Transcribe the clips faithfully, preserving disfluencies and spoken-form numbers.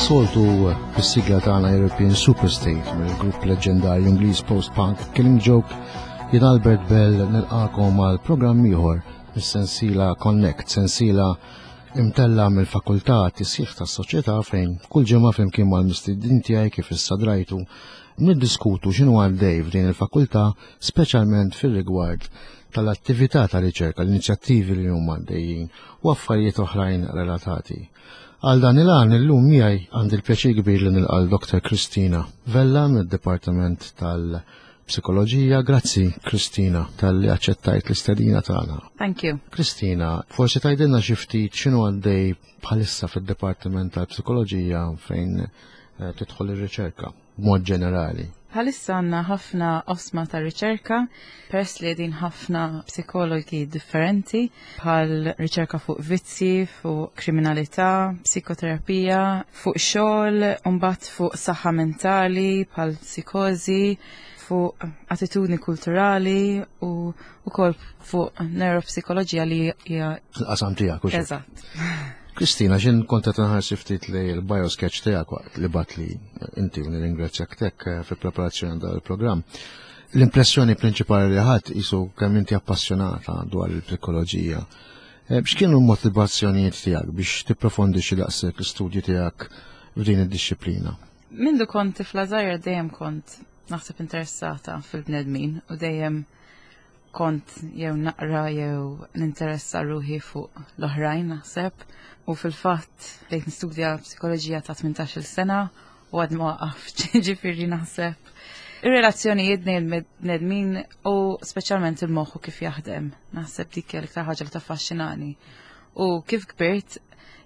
Bħas-soltu fis-sigla tagħna European Superstate mill-grupp leġendarju Ingliż post-punk Killing Joke, jien Albert Bell nilqakom għal programm ieħor mis-sensiela Connect, sensiela imtella mill-Fakultà Tisħiħ tas-Soċjetà fejn kull ġimgħa flimkien mal-mistednin tiegħi kif issa drajtu niddiskutu x'inhu għaddej f'din il-fakultà speċjalment fir-rigward tal-attività ta' riċerka, l-inizjattivi li huma għaddejjin u affarijiet oħrajn relatati. Għal dan il-għan illum miegħi għandi l-pjaċir kbir li nilqa' Dr. Kristina Vella mid-Dipartiment tal-Psikoloġija. Grazzi Kristina talli aċċettajt l-istedina tagħna. Thank you. Kristina, forsi tgħidilna xi ftit x'inhu għaddej bħalissa fid-Dipartiment tal-Psikoloġija fejn eh, tidħol ir-riċerka b'mod ġenerali. Bħalissa għandna ħafna oqsma ta' riċerka, peress li din ħafna psikologi differenti, bħal riċerka fuq vizzi, fuq kriminalità, psikoterapija, fuq xogħol, mbagħad fuq saħħa mentali, bħal psikozi, fuq attitudni kulturali u wkoll fuq neuropsikoloġija li hija Il-qasam tiegħek u xi. Eżatt. Kristina, xin kont qed nħares ftit li l-biosketch tiegħek waqt li bgħattli inti u nirringrazzjak tek eh, fil-preparazzjoni dal-programm. L-impressjoni prinċipali li ħadt qisu kemm inti appassjonata dwar il-psikoloġija. Eh, X'kienu l-motivazzjonijiet tiegħek biex tipprofondixxi daqshekk l-istudji tiegħek f'din id-dixxiplina? Mindu kont tifla żgħira dejjem kont naħseb interessata fil-bnedmin u dejjem kont jew naqra jew ninteressa ruħi fuq l-oħrajn naħseb u fil-fatt bdejt nistudja psikoloġija ta' tmintax-il sena u għad ma waqaft ġifieri naħseb. Ir-relazzjonijiet bejn il-bnedmin u speċjalment il-moħħ u kif jaħdem. Naħseb dik hija l-iktar ħaġa li taffaxxinani. U kif kbirt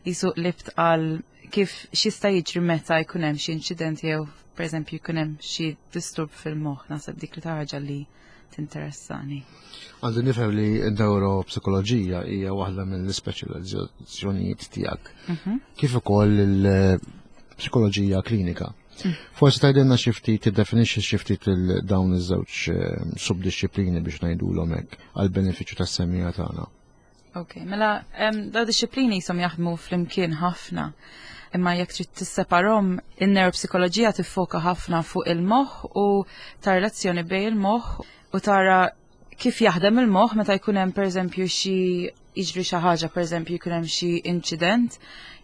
qisu qlibt għal kif x'jista' jiġri meta jkun hemm xi inċident jew pereżempju jkun hemm xi disturb fil-moħħ, naħseb dik li ħaġa li tinteressani. Għandi nifhem li n-neuropsikoloġija hija waħda mill-ispeċjalizzazzjonijiet tiegħek. Kif ukoll il-psikoloġija klinika. Forsi tgħidilna xi ftit tiddefinixxi xi ftit il- dawn iż-żewġ eh, subdixxiplini biex ngħidulhom hekk għall-benefiċċju tas-semmiegħa tagħna. Ok, mela em, daw dixxiplini jisom jaħdmu flimkien ħafna. Imma jekk trid tisseparhom, in-neuropsikoloġija tiffoka ħafna fuq il-moħħ u ta' relazzjoni bejn il-moħħ u tara kif jaħdem il-moħħ meta jkun hemm pereżempju xi jiġri xi ħaġa, pereżempju jkun hemm xi inċident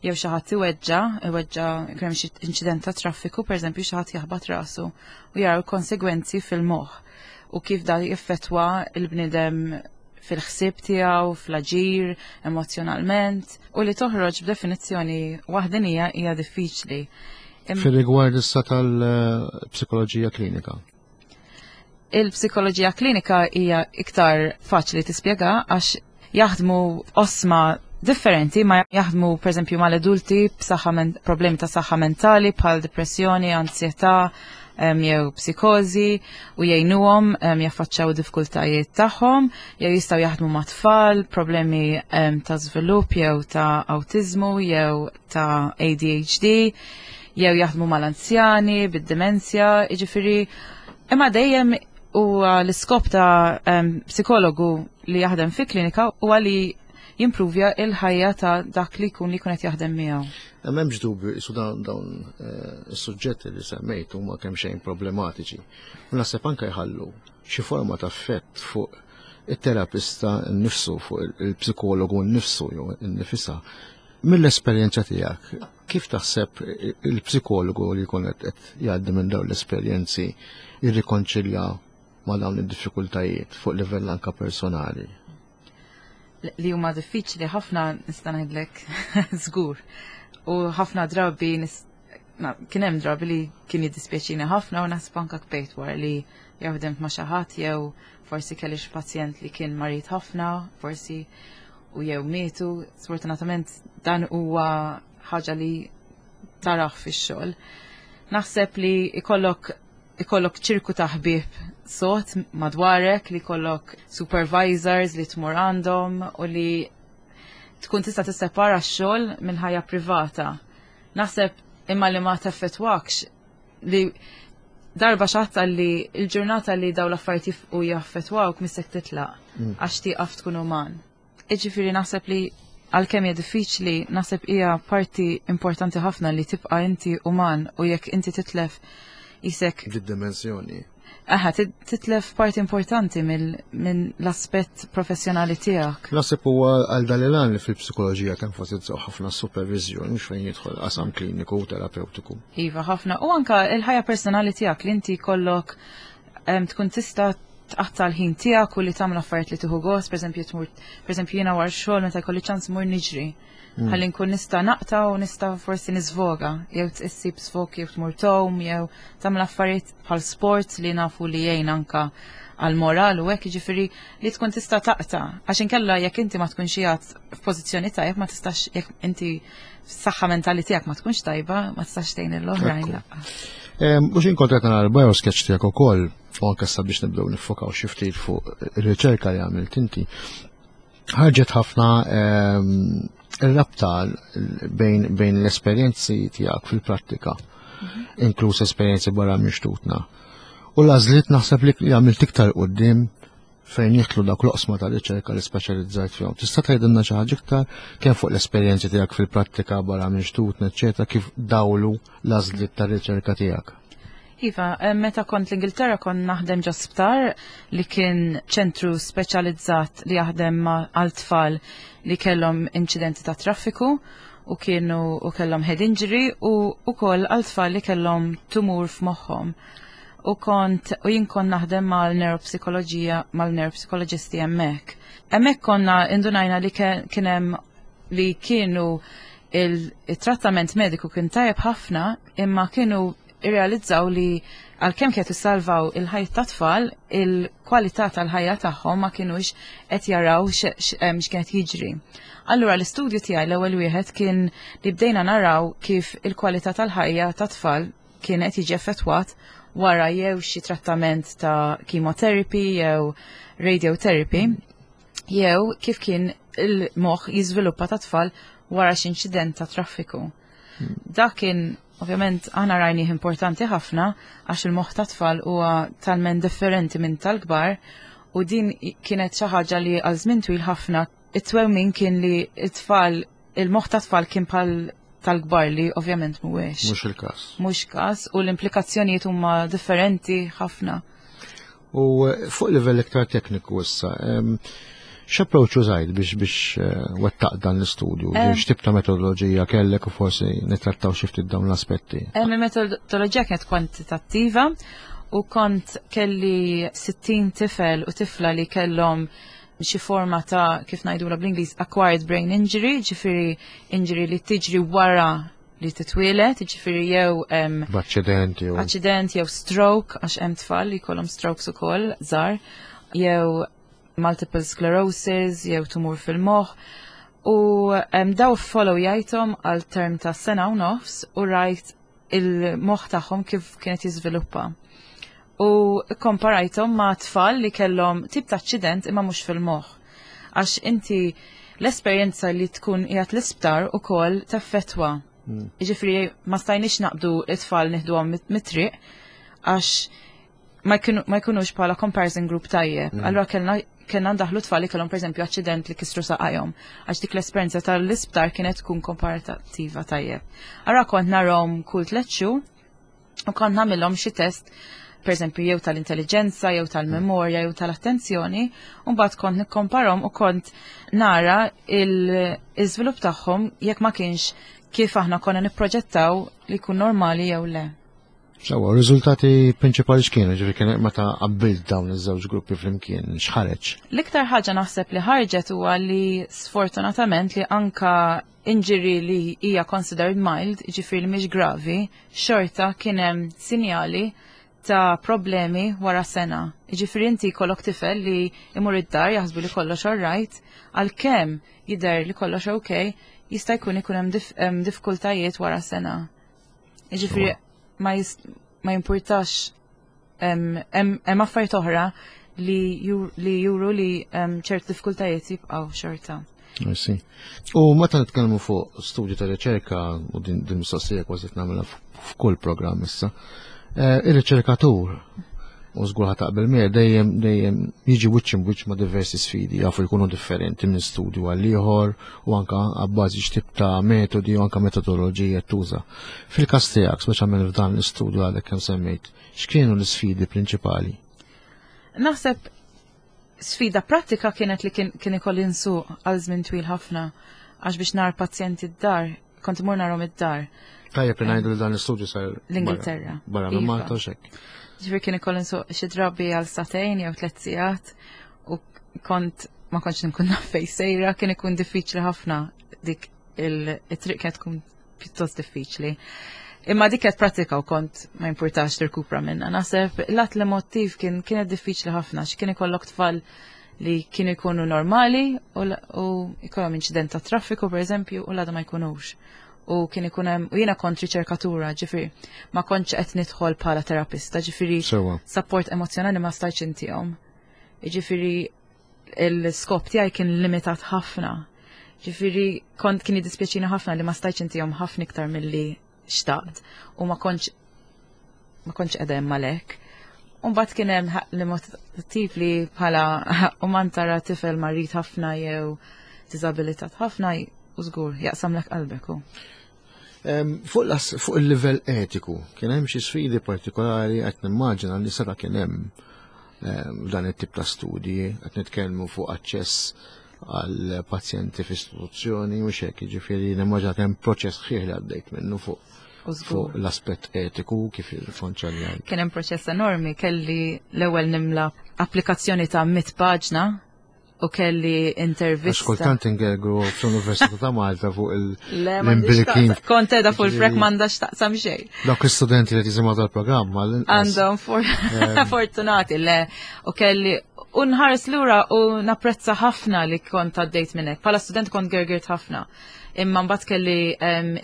jew xi ħadd iweġġa, iweġġa jkun hemm xi inċident ta' traffiku, pereżempju xi ħadd jaħbat rasu u jaraw konsegwenzi fil-moħħ u kif da jiffettwa il-bniedem fil-ħsieb tiegħu, fl-aġir, emozjonalment, u li toħroġ b'definizzjoni waħdenija hija diffiċli. Im- Fir-rigward issa tal-psikoloġija klinika. Il-psikoloġija klinika hija iktar faċli tispjega għax jaħdmu oqsma differenti, ma jaħdmu pereżempju mal-adulti b'saħħa men- problemi ta' saħħa mentali bħal depressjoni, ansjetà em, jew psikozi u jgħinuhom em, jaffaċċaw diffikultajiet tagħhom, jew jistgħu jaħdmu ma' tfal, problemi em, ta' żvilupp jew ta' awtiżmu jew ta' A D H D, jew jaħdmu mal-anzjani, bid-demenzja, jiġifieri imma dejjem huwa l-iskop ta' em, psikologu li jaħdem fi klinika huwa li jimpruvja il-ħajja ta' dak li jkun li jkun qed jaħdem miegħu. M'hemmx dubju qisu dawn dawn eh, is-suġġetti li semmejt huma kemm xejn problematiċi. U naħseb anke jħallu xi forma ta' effett fuq it-terapista nnifsu, fuq il-psikologu nnifsu jew innifisha. Mill-esperjenza tiegħek, kif taħseb il-psikologu li jkun qed qed jgħaddi minn dawn l-esperjenzi jirrikonċilja ma' dawn id-diffikultajiet fuq livell anka personali? Li huma diffiċli ħafna nista' ngħidlek żgur. U ħafna drabi nis- na, kien hemm drabi li kien jiddispjaċini ħafna u naħseb anka bkejt wara li jew ħdimt ma' xi ħadd jew forsi kelli xi pazjent li kien marid ħafna, forsi u jew mietu. Sfortunatament dan huwa ħaġa li taraħ fix-xogħol. Naħseb li ikollok ikollok ċirku ta' ħbieb sod madwarek, li jkollok supervisors li tmur għandhom u li tkun tista' tissepara x-xogħol mill-ħajja privata. Naħseb imma li ma teffettwakx li darba xatta li il-ġurnata li daw l-affarijiet jifqu jaffettwawk missek titlaq għax tieqaf tkun uman. Iġifieri naħseb li Għalkemm hija diffiċli, naħseb hija parti importanti ħafna li tibqa' inti uman u jekk inti titlef isek Di-dimensjoni. Aha, titlef parti importanti minn l-aspett professjonali tiegħek. Naħseb huwa għal dan li fil-psikoloġija tenfasizzaw ħafna supervizjoni fejn jidħol qasam kliniku u terapeutiku. Iva, ħafna. U anka il-ħajja personali tiegħek li inti kollok tkun tista' tqatta' l-ħin tiegħek u li tagħmel affarijiet li tieħu gost, pereżempju tmur, pereżempju jiena wara xogħol meta jkolli ċans mur niġri. Mm. Ħalli nkun nista' naqta' u nista' forsi niżvoga, jew issib sfog jew tmur tgħum, jew tagħmel affarijiet bħal sport li nafu li jgħin anka għal moral u hekk, jiġifieri li tkun tista' taqta'. Għax inkella jekk inti ma tkunx qiegħed f'pożizzjoni tajjeb, ma tistax, jekk inti s-saħħa mentali tiegħek ma tkunx tajba, ma tistax tgħin l-oħrajn. U x'ħin kont qed nara l-biosketch tiegħek ukoll, u anke sabiex nibdew niffokaw xi ftit fuq ir-riċerka li għamilt inti, ħarġet ħafna ir-rabta bejn, bejn l-esperjenzi tiegħek fil-prattika, mhm. inkluż esperjenzi barra minn xtutna. U l-għażliet naħseb li għamilt iktar quddiem fejn jidħlu dak l-oqsma ta' riċerka li speċjalizzajt fihom. Tista' tgħidilna xi ħaġa iktar kemm fuq l-esperjenzi tiegħek fil-prattika barra minn xtutna, eċetera, kif dawlu l-għażliet tar-riċerka tiegħek? Iva, eh, meta kont l-Ingilterra kont naħdem ġo sptar li kien ċentru speċjalizzat li jaħdem ma' għal tfal li kellhom inċidenti ta' traffiku u kienu u kellhom head injury u ukoll għal tfal li kellhom tumur f'moħħhom. U kont u jien kont naħdem mal-neuropsikoloġija, mal-neuropsikoloġisti hemmhekk. Hemmhekk konna indunajna li kien hemm li kienu il-trattament mediku kien tajjeb ħafna, imma kienu irrealizzaw li għalkemm kienet salvaw il-ħajja ta' tfal, il-kwalità tal-ħajja tagħhom ma kienux qed jaraw x'kienet jiġri. Allura l-istudju tiegħi, l-ewwel wieħed, kien li bdejna naraw kif il-kwalità tal-ħajja ta' tfal kienet jiġi effettwat wara jew xi trattament ta' chemotherapy jew radiotherapy jew kif kien il-moħħ jiżviluppa ta' tfal wara xi inċident ta' traffiku. Dak kien ovvjament aħna rajnih importanti ħafna għax il-moħħ ta' tfal huwa talment differenti minn tal-kbar u din kienet xi ħaġa li għal żmien twil ħafna it-twemmin kien li it-tfal il-moħħ ta' tfal kien bħal tal-kbar, li ovvjament mhuwiex. Mhux il-każ. Mhux każ u l-implikazzjonijiet huma differenti ħafna. U eh, fuq livell iktar tekniku issa, x'approach użajt biex biex eh, wettaq dan l-istudju? X'tip ta' metodoloġija kellek u forsi nittrattaw xi ftit dawn l-aspetti? Il-metodoloġija kienet kwantitattiva u kont kelli sittin tifel u tifla li kellhom xi forma ta', kif ngħidula bl-Ingliż, acquired brain injury, ġifieri injury li tiġri wara li titwielet, ġifieri jew B'aċċident jew aċċident jew stroke, għax hemm tfal li jkollhom strokes ukoll żgħar, jew multiple sclerosis, jew tumur fil-moħħ. U um, daw follow jajthom għal term ta' sena u nofs u rajt il-moħħ tagħhom kif kienet jiżviluppa. U komparajthom ma' tfal li kellhom tip ta' aċċident imma mhux fil-moħħ. Għax inti l-esperjenza li tkun qiegħed l-isptar ukoll teffettwa. Mm. Jiġifieri ma stajniex naqbdu it-tfal nieħduhom mit-triq għax ma jkunux bħala comparison group tajjeb. Mm. Allura kellna kellna ndaħlu tfal li kellhom, pereżempju, aċċident li kisru saqajhom, għax dik l-esperjenza tal-isptar kienet tkun komparattiva tajjeb. Allura kont narahom kull tliet xhur u kont nagħmilhom xi test, pereżempju jew tal-intelligenza, jew tal-memorja, jew tal-attenzjoni, u mbagħad kont nikkomparhom u kont nara il-iżvilupp tagħhom jekk ma kienx kif aħna konna nipproġettaw li jkun normali jew le. Sewwa, riżultati prinċipali x'kienu, ġifieri kien meta qabbilt dawn iż-żewġ gruppi flimkien, x'ħareġ? L-iktar ħaġa naħseb li ħarġet huwa li sfortunatament li anka injury li hija considered mild, ġifieri li mhix gravi, xorta kien hemm sinjali ta' problemi wara sena. Ġifieri inti jkollok tifel li imur id-dar, jaħsbu li kollox alright, għalkemm jidher li kollox okay, jista' jkun ikun hemm diffikultajiet wara sena. Ġifieri ma, ma jimpurtax, hemm affarijiet oħra li, li juru li ċert diffikultajiet jibqgħu xorta. I. U meta nitkellmu fuq studju ta' riċerka, u din, din mistoqsija kważi nagħmilha f'kull programm issa, eh, ir-riċerkatur u żgur taqbel miegħi, dejjem dejjem jiġi wiċċ wiċċ ma' diversi sfidi, jafu jkunu differenti minn studju għal ieħor u anka abbażi x'tip ta' metodi u anka metodoloġija tuża. Fil-każ tiegħek, speċjalment f'dan l-istudju għadek kemm semmejt, x'kienu l-isfidi prinċipali? Naħseb sfida pratika kienet li kien, kien ikolli nsuq għal żmien twil ħafna, għax biex nar pazjenti d-dar, kont imur narhom id-dar. Tajjeb li ngħidu li dan l-istudju sar l-Ingilterra. Barra minn Iva. Malta u xek. Ġifieri kien ikolli nsuq xi drabi għal sagħtejn jew tliet sigħat u kont ma kontx nkun naf fejn sejra, kien ikun diffiċli ħafna, dik il-triq kienet tkun pjuttost diffiċli. Imma dik kienet pratika u kont ma jimpurtax tirkupra minna. Naħseb lat l-emotiv kien kienet diffiċli ħafna, x'kien ikollok tfal li kienu jkunu normali u, u jkollhom inċident ta' traffiku per eżempju u l-għada ma jkunux. U kien ikun hemm, u jiena kont riċerkatura, ġifieri ma kontx qed nidħol bħala terapista, ġifieri support emozjonali ma stajtx intihom. Ġifieri l-skop tiegħi kien limitat ħafna. Ġifieri kont kien jiddispjaċini ħafna li ma stajtx intihom ħafna iktar milli xtaqt u ma kontx ma kontx qiegħda hemm għalhekk. U mbagħad kien hemm l-emotiv li bħala uman tara tifel marid ħafna jew diżabilitat ħafna u żgur jaqsamlek qalbek u. Fuq fuq il-livell etiku, kien hemm xi sfidi partikolari? Qed nimmaġina li seta' kien hemm dan it-tip ta' studji, qed nitkellmu fuq aċċess għal pazjenti f'istituzzjoni u xek, jiġifieri nimmaġina kemm proċess ħieħ li għaddejt minnu fuq fuq l-aspett etiku kif il-fonċaljajt. Kien hemm proċess enormi, kelli l-ewwel nimla applikazzjoni ta' mitt paġna u kelli intervista. Għax kultant ingergru fl-Università ta' Malta fuq il-imbrikin. Kont edha fuq il-frek m'għandax taqsam xejn. Dawk l-istudenti li jisimgħu tal-programm għandhom fortunati, le, u kelli u nħares lura u napprezza ħafna li kont għaddejt minnek. Bħala student kont gergirt ħafna. Imma mbagħad kelli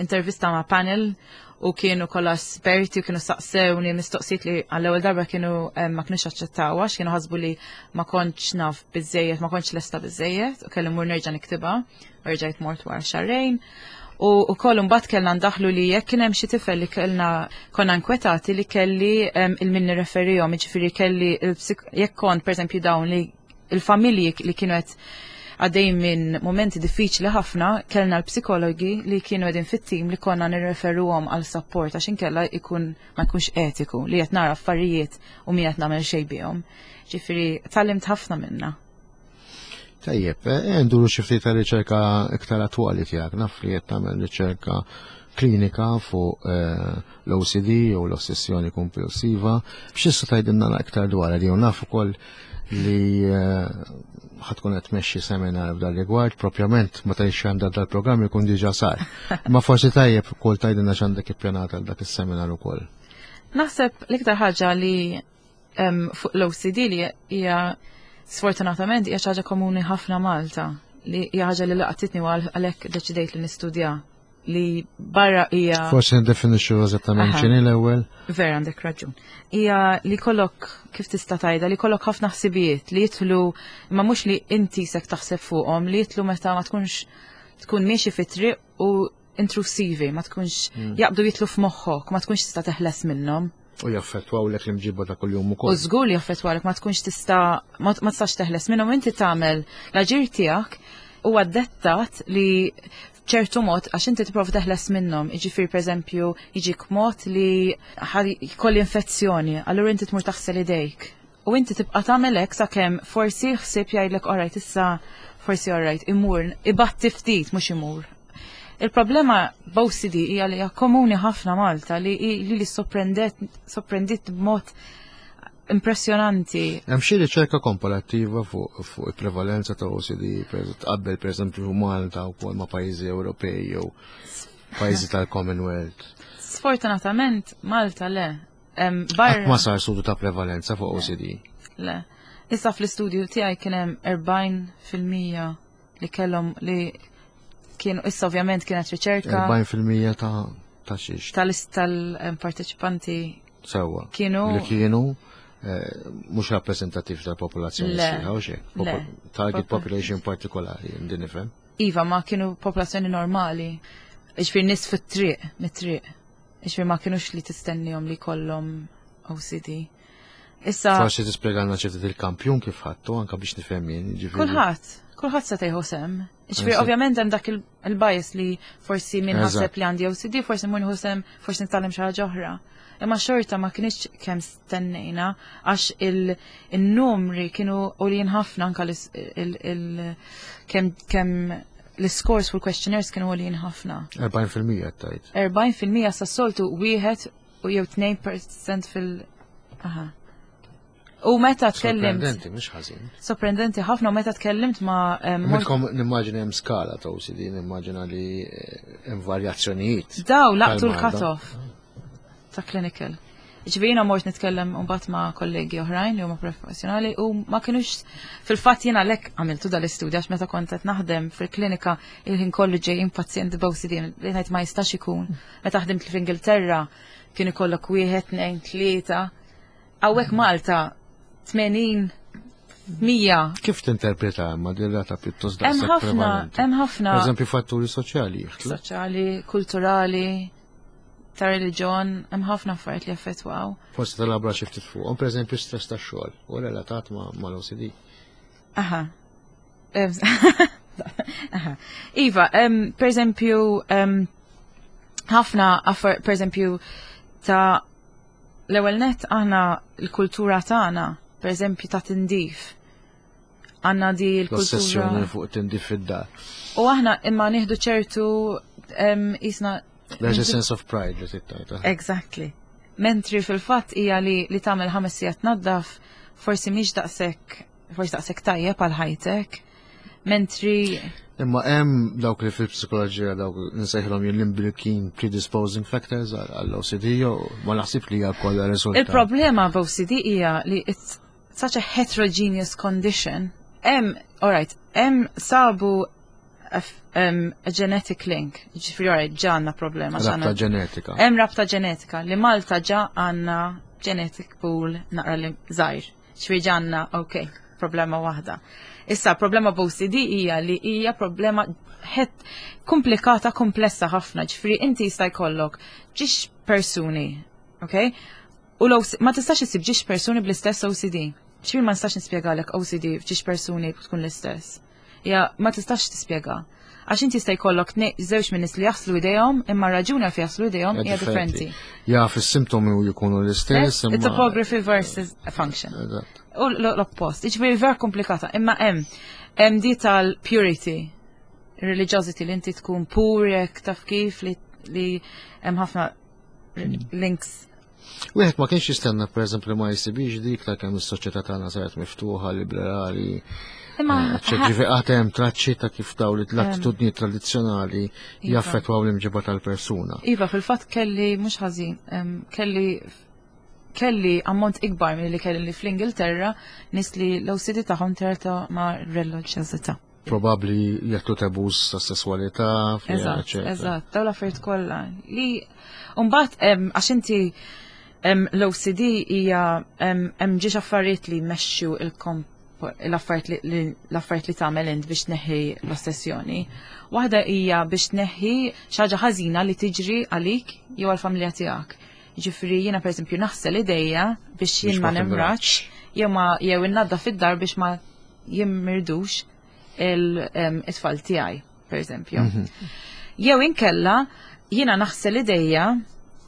intervista ma' panel u kienu kollha esperti u kienu saqsewni mistoqsijiet li għall-ewwel darba kienu ma kinux aċċettaw għax kienu ħasbu li ma kontx naf biżejjed, ma kontx lesta biżejjed, u kelli mmur nerġa' niktibha, u rġajt mort wara xahrejn. U wkoll imbagħad kellna ndaħlu li jekk kien hemm xi tifel li kellna konna nkwetati li kelli il-min nirreferihom, jiġifieri kelli jekk kont pereżempju dawn li il-familji li kienu qed għaddej minn momenti diffiċli ħafna, kellna l-psikologi li kienu għedin fit-tim li konna nirreferuhom għal support għax inkella ikun ma jkunx etiku li qed nara affarijiet u mi qed nagħmel xejn bihom. Ġifieri tgħallimt ħafna minna. Tajjeb, nduru xi ftit ta' riċerka iktar attwali tiegħek, naf li qed tagħmel riċerka klinika fuq l-O C D u l-ossessjoni kompulsiva. B'x'issa tgħidilna iktar dwar li naf ukoll li ħatkun qed tmexxi seminar f'dan rigward, propjament ma tgħidx għandha dal-programm ikun diġà sar. Ma forsi tajjeb ukoll tgħidilna x'għandek ippjanata għal dak is-seminar ukoll. Naħseb l-iktar ħaġa li fuq l-O C D li hija sfortunatament hija xi ħaġa komuni ħafna Malta, li hija ħaġa li laqtitni u għalhekk deċidejt li nistudja li barra hija. Forsi ndefinixxu eżattament x'inhi l-ewwel. Vera għandek raġun. Hija li kollok, kif tista' tgħidha, li kollok ħafna ħsibijiet li jidħlu, imma mhux li inti sek taħseb fuqhom, li jidħlu meta ma tkunx tkun miexi fit-triq u intrusivi, ma tkunx jaqbdu jidħlu f'moħħok, ma tkunx tista' teħles minnhom. U jaffettwawlek l-imġiba ta' kuljum ukoll. U żgur li jaffettwawlek, ma tkunx tista' ma tistax teħles minnhom, inti tagħmel l-aġir tiegħek huwa dettat li ċertu mod għax inti tipprova teħles minnhom, jiġifieri pereżempju jiġik mod li jkolli infezzjoni, allura inti tmur taħsel idejk. U inti tibqa' tagħmel hekk sakemm forsi ħsieb jgħidlek orajt issa forsi orajt imur, ibatti ftit mhux imur. Il-problema b'O C D hija li hija komuni ħafna Malta li li li sorprendet sorprendit b'mod impressjonanti. Hemm xi riċerka komparattiva fuq fuq il-prevalenza ta' O C D tqabbel pereżempju Malta wkoll ma' pajjiżi Ewropej jew pajjiżi tal-Commonwealth? Sfortunatament Malta le. Qatt ma sar studju ta' prevalenza fuq O C D. Le. Issa fl-istudju tiegħi kien hemm erbgħin fil-mija li kellhom li kienu, issa ovvjament kienet riċerka. Erbgħin fil-mija ta' ta' xiex? Tal-parteċipanti Sewwa. Kienu li kienu mhux rappreżentattiv tal-popolazzjoni sħiħa u xejn. Target population partikolari, din nifhem. Iva, ma kienu popolazzjoni normali. Jiġifieri nies fit-triq, mit-triq. Jiġifieri ma kienux li tistennihom li kollhom O C D. Issa Forsi tispjegalna xi ftit il-kampjun kif ħadtu anke biex nifhem jien, jiġifieri. Kulħadd, kulħadd se tieħu sehem. Ġifieri Eżatt. ovvjament hemm dak il- il-bias li forsi min Eżatt. ħaseb li għandi O C D, forsi mun ħusem, forsi nitgħallem xi ħaġa oħra. Imma xorta ma kienx kemm stennejna għax il-numri kienu għoljin ħafna, anka l- il- il- kemm kemm l-scores fuq questionnaires kienu għoljin ħafna. erbgħin fil-mija tajt. erbgħin fil-mija sa soltu wieħed u jew tnejn fil-mija fil- Aha. U meta tkellimt Sorprendenti, mhux ħażin. Sorprendenti ħafna, u meta tkellimt ma' em, mort- Mitkom nimmaġina hemm skala ta' O C D, nimmaġina li eh, hemm varjazzjonijiet. Daw laqtu tal-marda. l-cut-off ta' clinical. Ġifieri jiena mort nitkellem mbagħad ma' kollegi oħrajn li huma professjonali u ma kienux, fil-fatt jiena lek għamiltu dal-istudju għax meta kont qed naħdem fil-klinika il-ħin kollu ġejjin pazjenti b'O C D li ngħid ma jistax ikun. Meta ħdimt fl-Ingilterra kien ikollok wieħed, tnejn, tlieta. Hawnhekk Malta tmenin, mija. Kif tinterpreta ma din rata pjuttost Hemm daqshekk ħafna, prevalenti? Hemm ħafna Per eżempju, fatturi soċjali jidħlu. Soċjali, kulturali, ta' reliġjon, hemm ħafna affarijiet li affettwaw. Forsi telabora xi ftit fuqhom, per eżempju stress tax-xogħol u relatat ma' mal-O C D. Aha. Em, Aha. Iva, em, per eżempju, em, ħafna affar, per eżempju, ta' l-ewwel net aħna l-kultura tagħna, per eżempju ta' tindif. Għandna di l-kultura. L-ossessjoni fuq tindif fid-dar. U aħna imma nieħdu ċertu em, jisna There's a sense of pride li tittajta. Exactly. Mentri fil-fatt hija li li tagħmel ħames sigħat naddaf forsi mhix daqshekk, forsi daqshekk tajjeb għal ħajtek. Mentri Imma hemm dawk li fil-psikoloġija dawk nsejħilhom jien l-imbrikin predisposing factors għall-O C D jew ma naħsib li hija kollha riżultat. Il-problema b'O C D hija li it's such a heterogeneous condition. Hemm, alright, hemm sabu a, f- um, a genetic link. Ġifieri, alright, ġa għandna problema. Ġa Rabta għandna- ġenetika. Hemm rabta ġenetika li Malta ġa għandna genetic pool naqra li żgħir. Ġifieri ġa għandna, ok, problema waħda. Issa, problema b'O C D hija li hija problema het komplikata, komplessa ħafna. Ġifieri inti jista' jkollok ġiex persuni, ok? U l ma tistax issib ġiex persuni bl-istess O C D. Ġifieri ma nistax nispjegalek O C D f'ġiex persuni tkun l-istess. Ja, ma tistax tispjega. Għax inti jista' jkollok tnej- żewġ minn nies li jaħslu idejhom, imma raġuni għalfejn jaħslu idejhom hija differenti. Ja, fis-simptomi u jkunu l-istess. It's imma- topography versus function. Eżatt. U l- l-oppost. Iġifieri vera komplikata. Imma hemm hemm di tal-purity, religiosity, li inti tkun pur jekk taf kif li li hemm ħafna links. Wieħed ma kienx jistenna, pereżempju, ma jsibix dik ta' kemm is-soċjetà tagħna saret miftuħa, liberali. Imma Ġifieri għad hemm traċċi ta' kif daw li l-attitudni tradizzjonali Iva. jaffettwaw l-imġiba tal-persuna. Iva, fil-fatt kelli mhux ħażin, em, kelli kelli ammont ikbar mill li kelli li fl-Ingilterra nies li l-O C D tagħhom terta ma' reliġjożità. Probabbli jagħtu tabus ta' sessualità, fiha, Eżatt, eċetera. eżatt, daw l-affarijiet kollha. Li mbagħad em, għax inti em, l-O C D hija em, hemm ġiex affarijiet li jmexxu il-komp l-affarijiet li- li l-affarijiet li tagħmel int biex tneħħi l-ossessjoni. Waħda hija biex tneħħi xi ħaġa ħażina li tiġri għalik jew għall-familja tiegħek. Ġifieri jiena, pereżempju, naħsel idejja biex jien Biex ma ma nimraċ jew ma jew innaddaf fid-dar biex ma jimmirdux il-tfal tiegħi, pereżempju. Jew inkella jiena naħsel idejja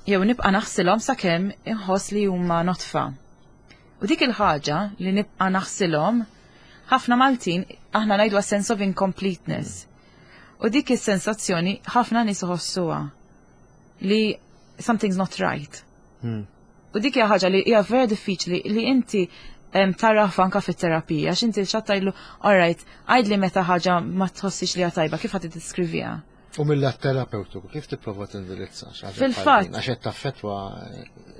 jew nibqa' naħsilhom sakemm inħoss li huma notfa. U dik il-ħaġa li nibqa' naħsilhom, ħafna Maltin aħna ngħidu sense of incompleteness. U dik is-sensazzjoni ħafna nies iħossuha li something's not right. Hmm. U dik hija ħaġa li hija vera diffiċli li inti em, taraf anka fit-terapija, għax inti xattajlu, alright, għajdli meta ħaġa ma tħossix li hija tajba, kif ħadd tiddeskriviha? U mill-lat terapeutiku, kif tipprova tindirizza xi ħaġa Fil-fatt- bħal din? Għax qed taffettwa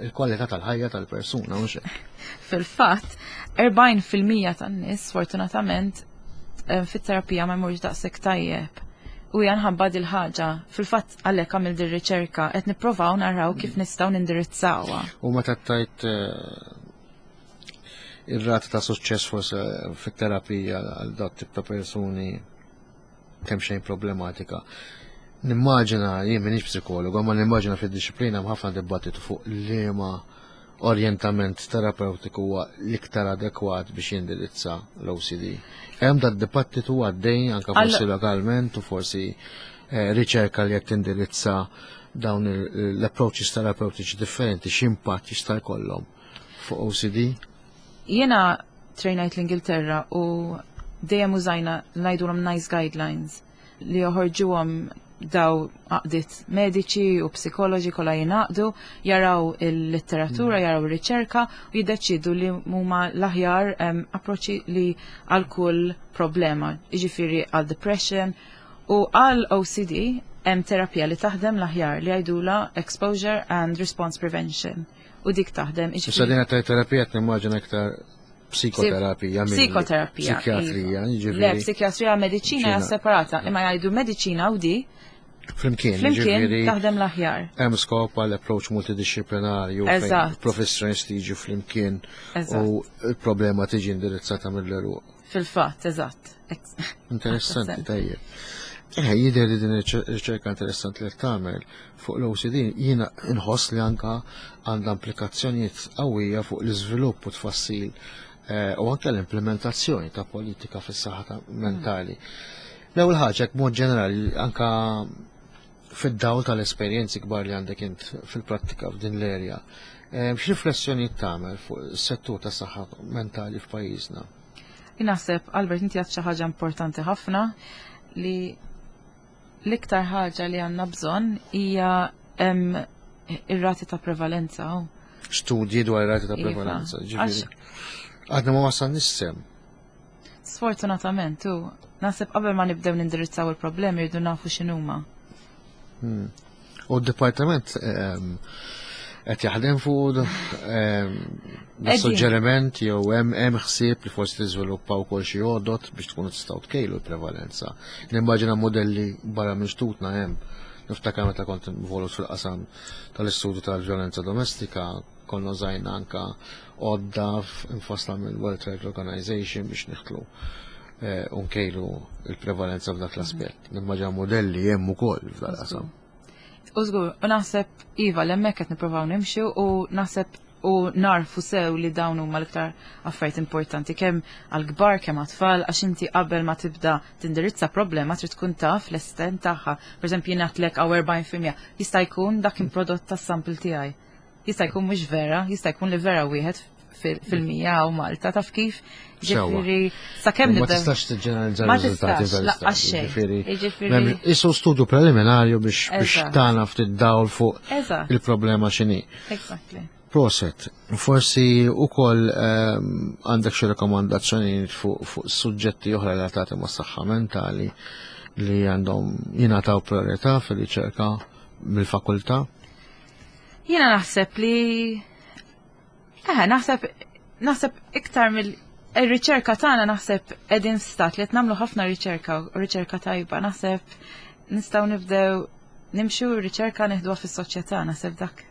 il-kwalità tal-ħajja tal-persuna, mhux hekk? Fil-fatt, erbgħin fil-mija tan-nies, sfortunatament, em, fit-terapija ma jmurx daqshekk tajjeb. U hija nħabba dil-ħaġa. Fil-fatt għalhekk għamil dir-riċerka qed nipprovaw naraw kif nistgħu nindirizzawha. U meta tajt eh, ir-rata ta' suċċess forse fit-terapija għal dat tip ta' persuni kemm xejn problematika. Nimmaġina, jien m'iniex psikologu, ma nimmaġina fid-disciplina hemm ħafna dibattitu fuq liema Orientament terapeutiku huwa l-iktar adekwat biex jindirizza l-O C D. Hemm dat dibattitu għaddej anka forsi lokalment u forsi eh, riċerka li qed tindirizza dawn l-approaches terapeutiċi differenti, x'impatt jista' jkollhom fuq O C D? Jiena trejnajt l-Ingilterra u dejjem użajna, ngħidulhom NICE guidelines, li joħorġuhom daw għaqdiet mediċi u psikoloġi kollha jingħaqdu, jaraw il-letteratura, mm. jaraw ir-riċerka u jiddeċidu li huma l-aħjar approċċi li għal kull problema, jiġifieri għal depression u għal O C D hemm terapija li taħdem l-aħjar li jgħidula exposure and response prevention. U dik taħdem. Issa din terapija nimmaġina iktar psikoterapija. Psikoterapija. Psikjatrija. Iva. Le, psikjatrija, mediċina hija separata, imma jgħidu mediċina u di Flimkien, Flimkien taħdem l-aħjar. Hemm skop għal approach multidisciplinarju fejn professjonisti jiġu flimkien u l-problema tiġi indirizzata mill-għeruq. Fil-fatt, eżatt. Interessanti, tajjeb. Eh, jidher li din ir-riċerka interessanti li tagħmel fuq l-O C D jiena nħoss li anka għandha implikazzjonijiet qawwija fuq l-iżvilupp u tfassil eh, u anke l-implementazzjoni ta' politika fis-saħħa mentali. L-ewwel ħaġa, mod ġenerali, anka fid-dawl tal-esperjenzi kbar li għandek int fil-prattika f'din l-erja, eh, x'riflessjonijiet tagħmel fuq is-settur tas saħħa mentali f'pajjiżna? Naħseb, Albert, inti għedt xi ħaġa importanti ħafna, li l-iktar ħaġa li għandna bżonn hija ir-rati ta' prevalenza. Studji dwar ir-rati ta' iva. prevalenza, ġifieri. Għadna ma wasal nissem. Sfortunatament, u naħseb qabel ma nibdew nindirizzaw il-problemi rridu nafu x'inhuma. Hmm. U d-dipartiment ehm, qed jaħdem fuq ehm, suġġeriment jew hemm hemm ħsieb li forsi tiżviluppaw ukoll xi għodot biex tkunu tistgħu tkejlu l-prevalenza? Nimmaġina modelli barra minn xtutna hemm. Niftakar meta kont involut fil-qasam tal-istudju tal-vjolenza domestika, konna użajna anka għodda infassla mill-World Health Organization biex niħtlu eh, u nkejlu il-prevalenza f'dak l-aspett. Nimmaġina modelli hemm ukoll f'dak qasam. U żgur, u naħseb iva, hemmhekk qed nippruvaw nimxu u naħseb u narfu sew li dawn huma l-iktar affarijiet importanti kemm għal-kbar kemm għat-tfal, għax inti qabel ma tibda tindirizza problema trid tkun taf l-estent tagħha. Pereżempju, jien għedtlek hawn erbgħin fil-mija, jista' jkun dak il-prodott tas-sample tiegħi. Jista' jkun mhux vera, jista' jkun li vera wieħed fil-mija u Malta, taf kif? Ġifieri, sakemm Ma tistax tiġġeneralizza Ma r-riżultati tistax, tal-istudju. laqqas xejn. Ġifieri, Jiġifieri- m'hemm- Isu studju preliminarju biex biex Eżatt. tagħna ftit dawl fuq Eżatt, il-problema x'inhi. exactly. Proset, forsi ukoll ehm, għandek xi rekomandazzjoni fuq fuq suġġetti oħra relatati ma' saħħa mentali li għandhom jingħataw priorità fil-riċerka mill-fakultà? Jiena naħseb li Eh, naħseb naħseb iktar mill ir-riċerka tagħna, naħseb qegħdin stat li qed nagħmlu ħafna riċerka u riċerka tajba. Naħseb nistgħu nibdew nimxu r-riċerka neħduha fis-soċjetà, naħseb dak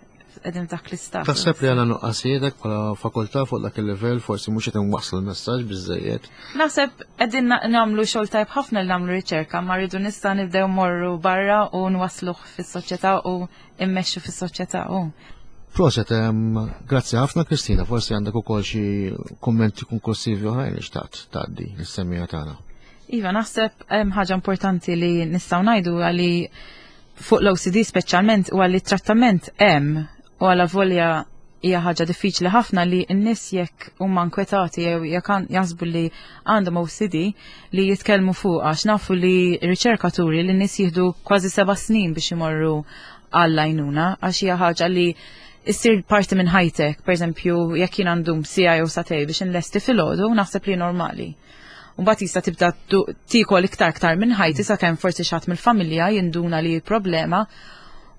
qegħdin dak l-istat. Taħseb li għandna nuqqasijietek bħala fakultà fuq dak il-livell, forsi mhux qed inwasslu l-messaġġ biżejjed? Naħseb qegħdin na- nagħmlu xogħol tajb ħafna li nagħmlu riċerka, ma rridu nista' nibdew morru barra u nwasluh fis-soċjetà u immexxu fis-soċjetà u. Proset, em, grazzi ħafna, Kristina, forsi għandek ukoll xi kummenti konklusivi oħrajn li xtaqt tgħaddi lis-semmiegħa tagħna. Iva, naħseb hemm ħaġa importanti li nistgħu ngħidu għali fuq l-O C D speċjalment u għalli trattament hemm, u għala volja hija ħaġa diffiċli ħafna, li n-nies jekk huma nkwetati jew jekk għan- jaħsbu li għandhom O C D li jitkellmu fuq, għax nafu li riċerkaturi li n-nies jieħdu kważi seba' snin biex imorru għall-għajnuna, għax hija ħaġa li issir parti minn ħajtek. Per eżempju, jekk jien għandum siegħa jew sagħtejn biex inlesti filgħodu, naħseb li normali. Mbagħad jista' tibda tu- tiekol iktar iktar minn ħajti sakemm forsi xi ħadd mill-familja jinduna li problema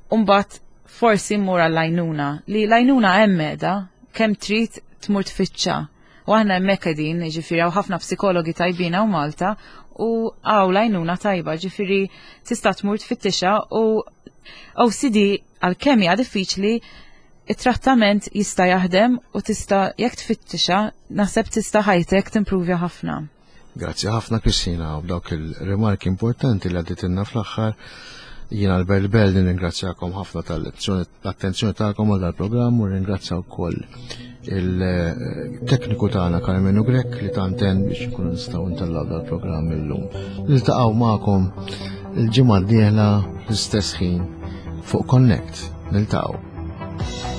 u mbagħad forsi mmur għall-għajnuna. Li l-għajnuna hemm meda, kemm trid tmur tfittxa. U aħna hemmhekk qegħdin, ġifieri hawn ħafna psikologi tajbin hawn Malta u hawn l-għajnuna tajba, ġifieri tista' tmur tfittixa, u O C D għalkemm hija diffiċli, it-trattament jista' jaħdem u tista' jekk tfittixa naħseb tista' ħajtek timpruvja ħafna. Grazzi ħafna, Kristina, u b'dawk il-rimarki importanti li għadditilna fl-aħħar. Jien Albert Bell nirringrazzjakom ħafna tal-attenzjoni tagħkom għal dal-programm u ringrazzja wkoll il-tekniku tagħna Carmenu Grech li tanten biex nkunu nistgħu ntellgħu dal-programm illum. Niltaqgħu magħkom il-ġimgħa d-dieħla l-istess ħin fuq Connect. Niltaqgħu.